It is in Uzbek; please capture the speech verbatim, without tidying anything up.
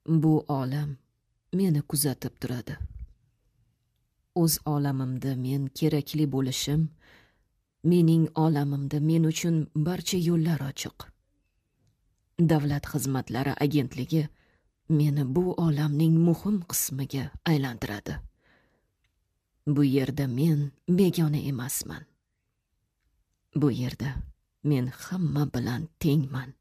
Bu olam meni kuzatib turadi. O'z olamimda men kerakli bo'lishim, mening olamimda men uchun barcha yo'llar ochiq. Davlat xizmatlari agentligi meni bu olamning muhim qismiga aylantiradi. Bu yerda men begona emasman. Bu yerda men hamma bilan tengman.